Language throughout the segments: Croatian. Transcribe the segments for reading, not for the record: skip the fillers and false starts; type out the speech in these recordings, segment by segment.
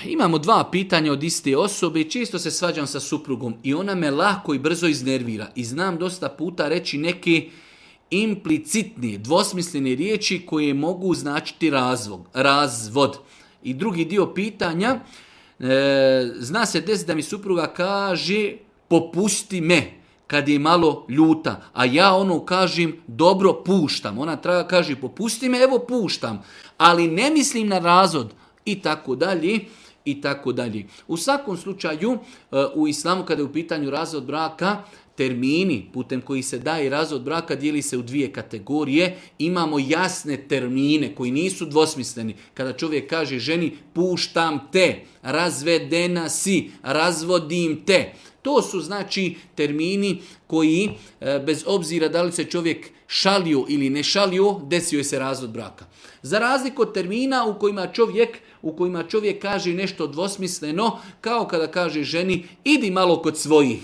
Imamo 2 pitanja od iste osobe i često se svađam sa suprugom i ona me lako i brzo iznervira. I znam dosta puta reći neke implicitne, dvosmislene riječi koje mogu značiti razvod. I drugi dio pitanja, zna se desiti da mi supruga kaže popusti me kad je malo ljuta, a ja kažem dobro puštam. Ona kaže popusti me, evo puštam, ali ne mislim na razvod i tako dalje. I tako dalje. U svakom slučaju, u islamu kada je u pitanju razvod braka, termini putem koji se daje razvod braka dijeli se u 2 kategorije. Imamo jasne termine koji nisu dvosmisleni. Kada čovjek kaže ženi puštam te, razvedena si, razvodim te. To su znači termini koji bez obzira da li se čovjek šalio ili ne šalio, desio je se razvod braka. Za razliku od termina u kojima čovjek kaže nešto dvosmisleno, kao kada kaže ženi idi malo kod svojih.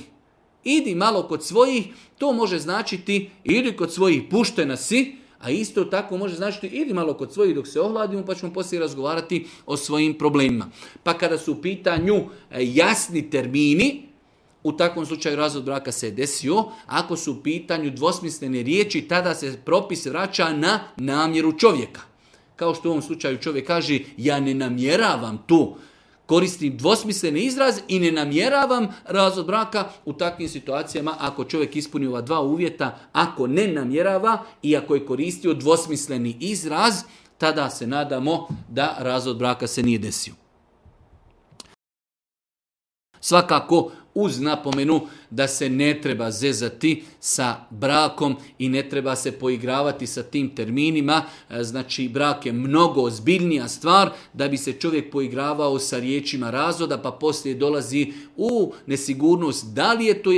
Idi malo kod svojih, to može značiti idi kod svojih, puštena si, a isto tako može značiti idi malo kod svojih dok se ohladimo pa ćemo poslije razgovarati o svojim problemima. Pa kada su u pitanju jasni termini, u takvom slučaju razvod braka se je desio. Ako su u pitanju dvosmislene riječi, tada se propis vraća na namjeru čovjeka. Kao što u ovom slučaju čovjek kaže ja ne namjeravam to, koristim dvosmisleni izraz i ne namjeravam razvod braka. U takvim situacijama ako čovjek ispuni ova 2 uvjeta, ako ne namjerava i ako je koristio dvosmisleni izraz, tada se nadamo da razvod braka se nije desio. Svakako uz napomenu da se ne treba zezati sa brakom i ne treba se poigravati sa tim terminima. Znači brak je mnogo ozbiljnija stvar da bi se čovjek poigravao sa riječima razvoda pa poslije dolazi u nesigurnost da li je to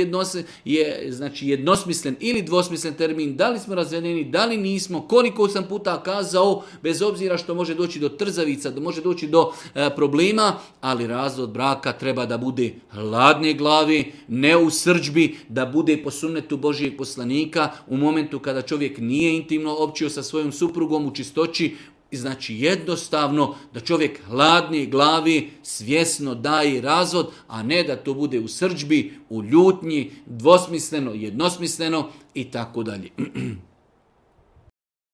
jednosmislen ili dvosmislen termin, da li smo razvedeni, da li nismo, koliko sam puta kazao, bez obzira što može doći do trzavica, da može doći do problema, ali razvod braka treba da bude hladne glavi, ne u srdžbi, da bude po sunnetu Božijeg poslanika u momentu kada čovjek nije intimno općio sa svojom suprugom u čistoći. Znači jednostavno da čovjek hladne glavi svjesno daje razvod, a ne da to bude u srdžbi, u ljutnji, dvosmisleno, jednosmisleno i tako dalje.